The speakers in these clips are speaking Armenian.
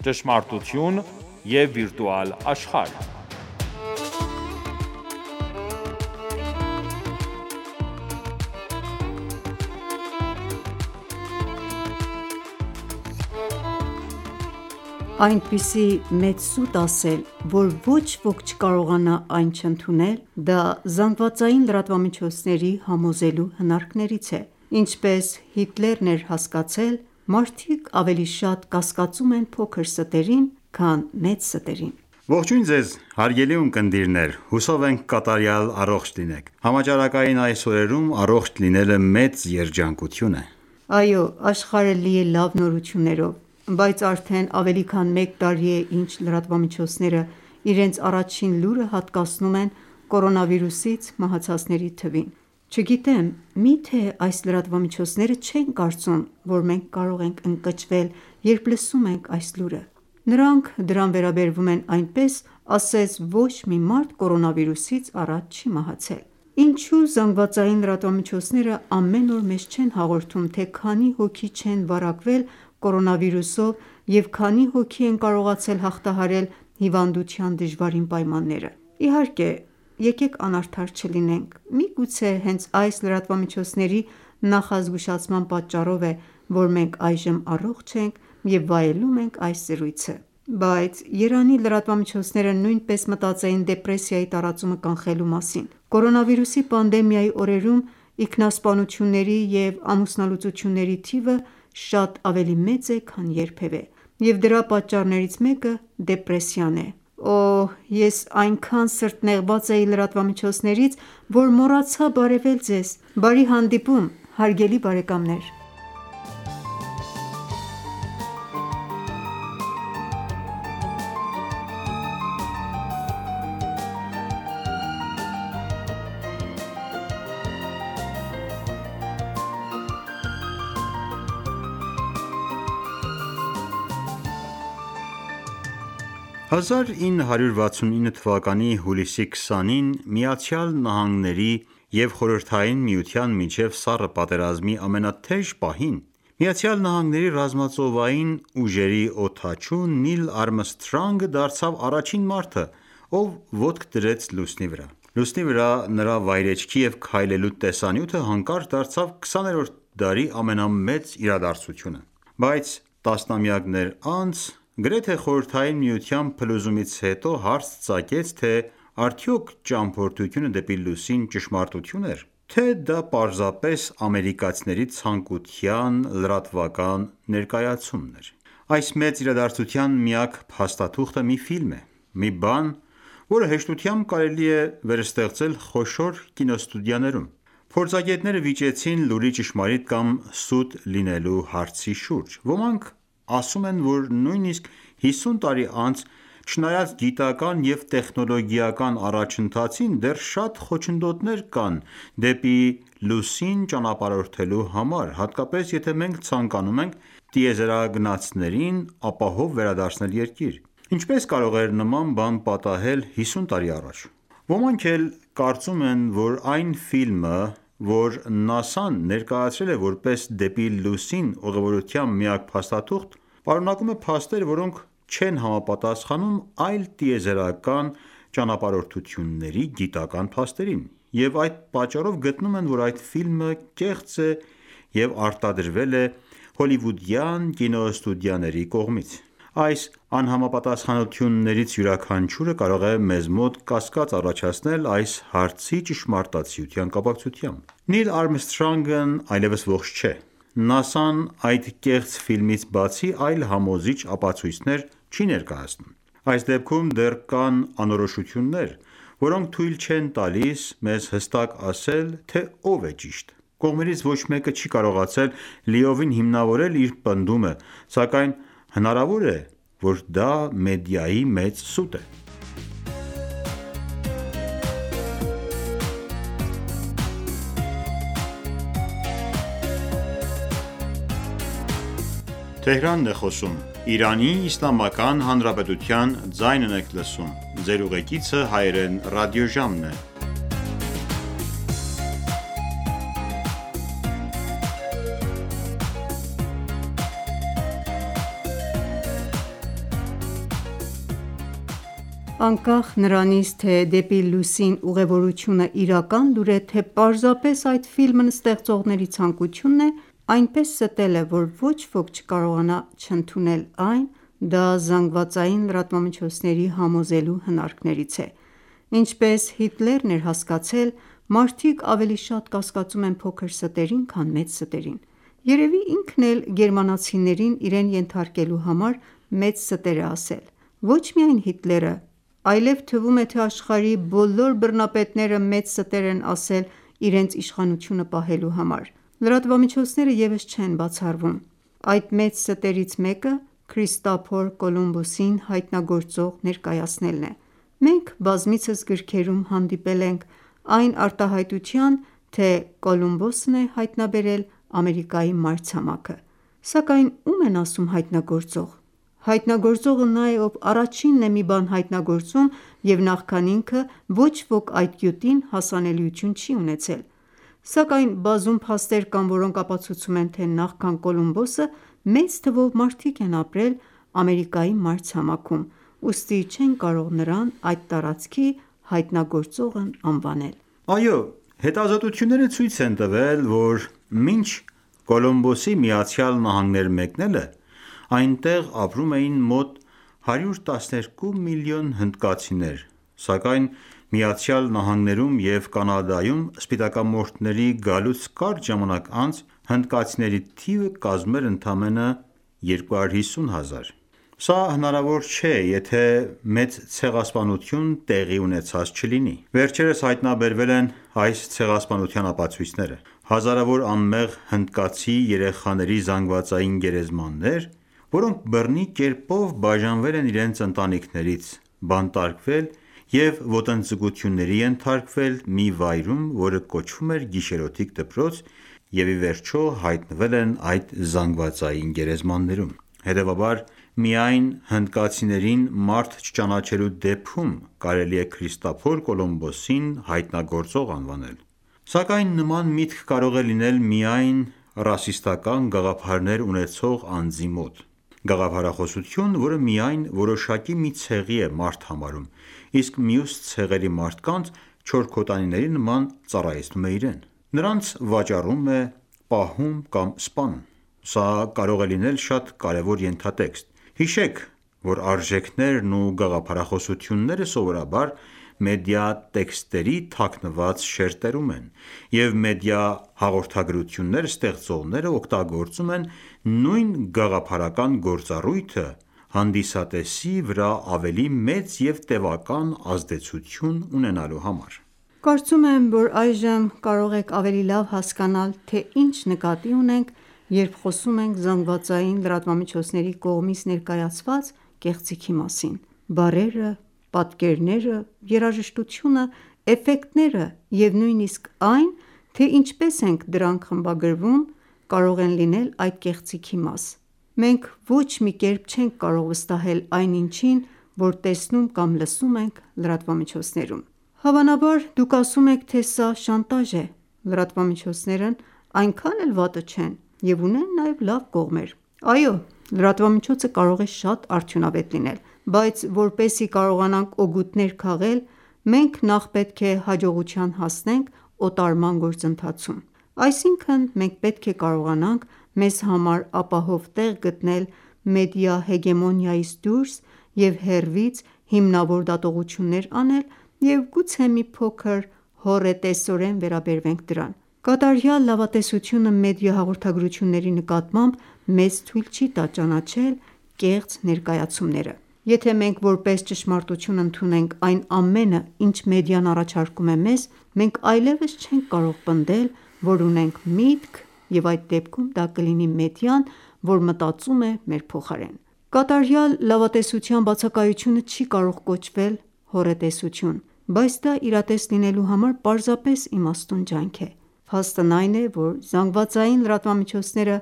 ճշմարտություն և վիրտուալ աշխարհ։ Այնպիսի մեծ սուտ ասել, որ ոչ ոք չկարողանա այն չընդունել, դա ԶԼՄ-ների համոզելու հնարքներից է: Ինչպես Հիտլերն էր հասկացել, մարդիկ ավելի շատ կասկածում են փոքր ստերին, քան մեծ ստերին: Ողջույն ձեզ հարգելի ունկնդիրներ, հուսով ենք կատարյալ առողջ լինեք: Համաճարակային այս օրերում առողջ լինելը մեծ երջանկություն է: Այո, աշխարհը լի է լավ նորություններով, բայց արդեն ավելի քան մեկ տարի է ինչ լրատվամիջոցները իրենց առաջին լուրը հատկացնում են կորոնավիրուսից մահացածների թվին: Չգիտեմ, միթե այս լրատվամիջոցները չեն կարծում, որ մենք կարող ենք ընկճվել, երբ լսում ենք այս լուրը: Նրանք դրան վերաբերվում են այնպես, ասես ոչ մի մարդ կորոնավիրուսից առաջ չի մահացել: Ինչու ԶԼՄ-ները ամեն օր մեզ չեն հաղորդում, թե քանի հոգի չեն վարակվել կորոնավիրուսով և քանի հոգի են կարողացել հաղթահարել հիվանդության դժվարին պայմանները: Իհարկե, եկեք անարդար չլինենք, միգուցե հենց այս լրատվամիջոցների նախազգուշացման պատճառով է, որ մենք այժմ առողջ ենք և վայելում ենք այս զրույցը: Բայց երանի լրատվամիջոցները նույնպես մտածեին դեպրեսիայի տարածումը կանխելու մասին: Կորոնավիրուսի պանդեմիայի օրերում ինքնասպանությունների և ամուսնալուծությունների թիվը շատ ավելի մեծ է, քան երբևէ, և դրա պատճառներից մեկը դեպրեսիան է: Օհ, ես այնքան սրտնեղված էի լրատվամիջոցներից, որ մոռացա բարևել ձեզ: Բարի հանդիպում հարգելի բարեկամներ: Իրանական 1969 թվականի հուլիսի 20-ին ԱՄՆ-ի և Խորհրդային Միության միջև սառը պատերազմի ամենաթեժ պահին, ԱՄՆ ռազմածովային ուժերի օդաչու Նիլ Արմսթրոնգը դարձավ առաջին մարդը, ով ոտք դրեց լուսնի վրա: Լուսնի վրա նրա վայրէջքի և քայլելու տեսանյութը հանկարծ դարձավ 20-րդ դարի ամենամեծ իրադարձությունը: Բայց տասնամյակներ անց, գրեթե Խորհրդային Միության փլուզումից հետո հարց ծագեց, թե արդյոք ճամփորդությունը դեպի լուսին ճշմարտություն էր, թե դա պարզապես ամերիկացիների ցանկության լրատվական ներկայացումն էր: Այս մեծ իրադարձության միակ փաստաթուղթը մի ֆիլմ է, մի բան, որը հեշտությամբ կարելի է վերստեղծել խոշոր կինոստուդիաներում: Փորձագետները վիճեցին լուրի ճշմարիտ կամ սուտ լինելու հարցի շուրջ: Ոմանք ասում են, որ նույնիսկ 50 տարի անց, չնայած գիտական և տեխնոլոգիական առաջընթացին, դեռ շատ խոչընդոտներ կան դեպի լուսին ճանապարհորդելու համար, հատկապես եթե մենք ցանկանում ենք տիեզերագնացներին ապահով վերադարձնել Երկիր: Ինչպես կարող էր նման բան պատահել 50 տարի առաջ: Ոմանք էլ կարծում են, որ այն ֆիլմը, որ ՆԱՍԱ-ն ներկայացրել է որպես դեպի լուսին ուղևորության միակ փաստաթուղթ, պարունակում է փաստեր, որոնք չեն համապատասխանում այլ տիեզերական ճանապարհորդությունների գիտական փաստերին, և այդ պատճառով գտնում են, որ այդ ֆիլմը կեղծ է և արտադրվել է հոլիվուդյան կինոստուդիաների կողմից: Այս անհամապատասխանություններից յուրաքանչյուրը կարող է մեզ մոտ կասկած առաջացնել այս հարցի ճշմարտացիության կապակցությամբ: Նիլ Արմսթրոնգն այլևս ողջ չէ: ՆԱՍԱ-ն այդ կեղծ ֆիլմից բացի այլ համոզիչ ապացույցներ չի ներկայացնում: Այս դեպքում դեռ կան անորոշություններ, որոնք թույլ չեն տալիս մեզ հստակ ասել, թե ով է ճիշտ: Կողմերից ոչ մեկը չի կարողացել լիովին հիմնավորել իր պնդումը, սակայն հնարավոր է, որ դա մեդիայի մեծ սուտ է: անկախ նրանից, թե «Դեպի լուսին» ուղևորությունը իրական լուր է, թե պարզապես այդ ֆիլմն ստեղծողների ցանկությունն է այնպես ստելը, որ ոչ ոք չկարողանա չընդունել այն, դա ԶԼՄ-ների համոզելու հնարքներից է: Ինչպես Հիտլերն էր հասկացել, մարդիկ ավելի շատ կասկածում են փոքր ստերին, քան մեծ ստերին: Երևի ինքն էլ գերմանացիներին իրեն ենթարկելու համար մեծ ստեր է ասել: Ոչ միայն Հիտլերը, այլև թվում է, թե աշխարհի բոլոր բռնապետները մեծ ստեր են ասել իրենց իշխանությունը պահելու համար: Լրատվամիջոցները ևս չեն բացառվում: Այդ մեծ ստերից մեկը Քրիստոֆոր Կոլումբոսին հայտնագործող ներկայացնելն է: Մենք բազմիցս գրքերում հանդիպել ենք այն արտահայտության, թե Կոլումբոսն է հայտնաբերել Ամերիկայի մայրցամաքը: Սակայն ո՞ւմ են ասում հայտնագործող: Հայտնագործողը նա է, ով առաջինն է մի բան հայտնագործում և նախքան ինքը ոչ ոք այդ գյուտին հասանելիություն չի ունեցել: Սակայն բազում փաստեր կան, որոնք ապացուցում են, թե նախքան Կոլումբոսը մեծ թվով մարդիկ են ապրել Ամերիկայի մայրցամաքում, ուստի չեն կարող նրան այդ տարածքի հայտնագործողն անվանել: Այո, հետազոտությունները ցույց են տվել, որ մինչ Կոլումբոսի ԱՄՆ մեկնելը, այնտեղ ապրում էին մոտ 112 միլիոն հնդկացիներ, սակայն ԱՄՆ-ում և Կանադայում սպիտակամորթների գալուց կարճ ժամանակ անց հնդկացիների թիվը կազմել ընդամենը 250 հազար: Սա հնարավոր չէ, եթե մեծ ցեղասպանություն տեղի ունեցած չլինի: Վերջերս հայտնաբերվել են այս ցեղասպանության ապացույցները: Հազարավոր անմեղ հնդկացի երեխաների զանգվածային գերեզմաններ, որոնք բռնի կերպով բաժանվել են իրենց ընտանիքներից, բանտարկվել և ոտնձգությունների ենթարկվել մի վայրում, որը կոչվում էր գիշերօթիկ դպրոց և ի վերջո հայտնվել են այդ զանգվածային գերեզմաններում: Հետևաբար միայն հնդկացիներին մարդ չճանաչելու դեպքում կարելի է Քրիստոֆոր Կոլումբոսին հայտնագործող անվանել: Սակայն նման միտք կարող է լինել միայն ռասիստական գաղափարներ ունեցող անձի մոտ: Գաղափարախոսություն, որը միայն որոշակի մի ցեղի է մարդ համարում, իսկ մյուս ցեղերի մարդկանց չորքոտանիների նման ծառայեցնում է իրեն: Նրանց վաճառում է, պահում կամ սպանում: Սա կարող է լինել շատ կարևոր ենթատեքստ: Հիշեք, որ արժեքներն ու գաղափարախոսությունները սովորաբար մեդիա տեքստերի թաքնված շերտերում են, և մեդիա հաղորդագրություններ ստեղծողները օգտագործում են նույն գաղափարական գործառույթը հանդիսատեսի վրա ավելի մեծ և տևական ազդեցություն ունենալու համար: Կարծում եմ, որ այժմ կարող եք ավելի լավ հասկանալ, թե ինչ նկատի ունենք, երբ խոսում ենք ԶԼՄ-ների կողմից ներկայացված կեղծիքի մասին: Բառերը, պատկերները, երաժշտությունը, էֆեկտները և նույնիսկ այն, թե ինչպես ենք դրանք խմբագրվում, կարող են լինել այդ կեղծիքի մաս: Մենք ոչ մի կերպ չենք կարող վստահել այն ինչին, որ տեսնում կամ լսում ենք լրատվամիջոցներում: Հավանաբար դուք ասում եք, թե սա շանտաժ է: Լրատվամիջոցներն այնքան էլ վատը չեն և ունեն նաև լավ կողմեր: Այո, լրատվամիջոցը կարող է շատ արդյունավետ լինել: Բայց որպեսզի կարողանանք օգուտներ քաղել, մենք նախ պետք է հաջողության հասնենք օտարման գործընթացում: Այսինքն մենք պետք է կարողանանք մեզ համար ապահով տեղ գտնել մեդիա հեգեմոնիայից դուրս և հեռվից հիմնավոր դատողություններ անել և գուցե մի փոքր հոռետեսորեն վերաբերվենք դրան: Կատարյալ լավատեսությունը մեդիա հաղորդագրությունների նկատմամբ մեզ թույլ չի տա ճանաչել կեղծ ներկայացումները: Եթե մենք որպես ճշմարտություն ընդունենք այն ամենը, ինչ մեդիան առաջարկում է մեզ, մենք այլևս չենք կարող պնդել, որ ունենք միտք և այդ դեպքում դա կլինի մեդիան, որ մտածում է մեր փոխարեն: Կատարյալ լավատեսության բացակայությունը չի կարող կոչվել հոռետեսություն, բայց դա իրատես լինելու համար պարզապես իմաստուն ջանք է: Փաստն այն է, որ ԶԼՄ-ները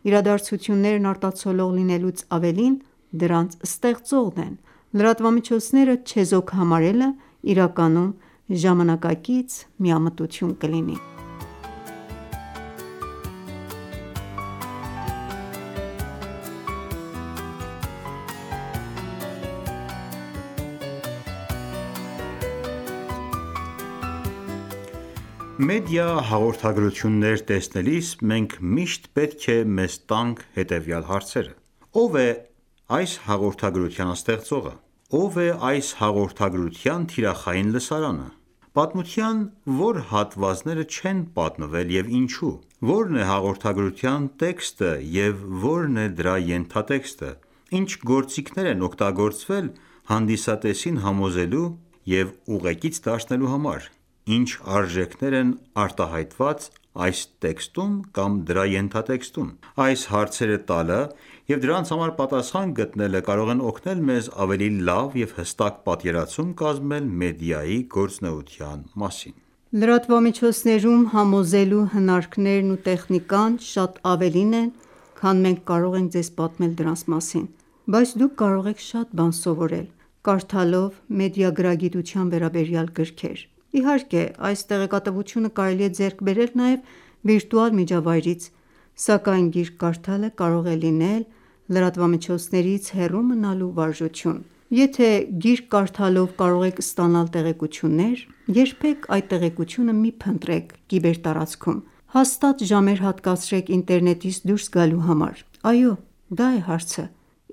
իրադարձություններն արտացոլող լինելուց ավելին դրանց ստեղծողն են: Լրատվամիջոցները չեզոք համարելը իրականում ժամանակակից միամտություն կլինի: Մեդիա հաղորդագրություններ տեսնելիս մենք միշտ պետք է մեզ տանք հետևյալ հարցերը. Ո՞վ է այս հաղորդագրության ստեղծողը: Ո՞վ է այս հաղորդագրության թիրախային լսարանը: Պատմության ո՞ր հատվածները չեն պատմվել և ինչու: Ո՞րն է հաղորդագրության տեքստը և ո՞րն է դրա ենթատեքստը: Ինչ գործիքներ են օգտագործվել հանդիսատեսին համոզելու և ուղեկից դարձնելու համար: Ինչ արժեքներ են արտահայտված այս տեքստում կամ դրա ենթատեքստում: Այս հարցերը տալը և դրանց համար պատասխան գտնելը կարող են օգնել մեզ ավելի լավ և հստակ պատկերացում կազմել մեդիայի գործունեության մասին: Լրատվամիջոցներում համոզելու հնարքներն ու տեխնիկան շատ ավելին են, քան մենք կարող ենք ձեզ պատմել դրանց մասին: Բայց դուք կարող եք շատ բան սովորել, կարդալով մեդիագրագիտության վերաբերյալ գրքեր: Իհարկե, այս տեղեկատվությունը կարելի է ձեռք բերել նաև վիրտուալ միջավայրից, սակայն գիրք կարդալը կարող է լինել լրատվամիջոցներից հեռու մնալու վարժություն: Եթե գիրք կարդալով կարող եք ստանալ տեղեկություններ, երբեք այդ տեղեկությունը մի փնտրեք կիբերտարածքում: Հաստատ ժամեր հատկացրեք ինտերնետից դուրս գալու համար: Այո, դա է հարցը: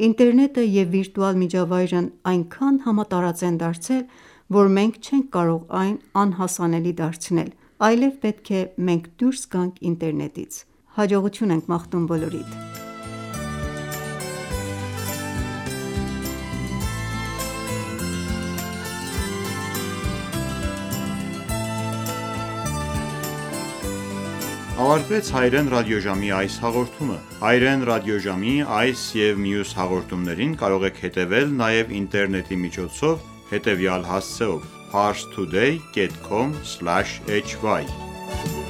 Ինտերնետը և վիրտուալ միջավայրն այնքան համատարած են դարձել, որ մենք չենք կարող այն անհասանելի դարձնել, այլև պետք է մենք դուրս գանք ինտերնետից: Հաջողություն ենք մաղթում բոլորիդ: Ավարտվեց հայրեն ռադիոժամի այս հաղորդումը: Հայրեն ռադիոժամի այս և մյուս հաղորդումներին կարող եք հետևել նաև ինտերնետի միջոցով հետևյալ հասցեով: Parstoday.com/hy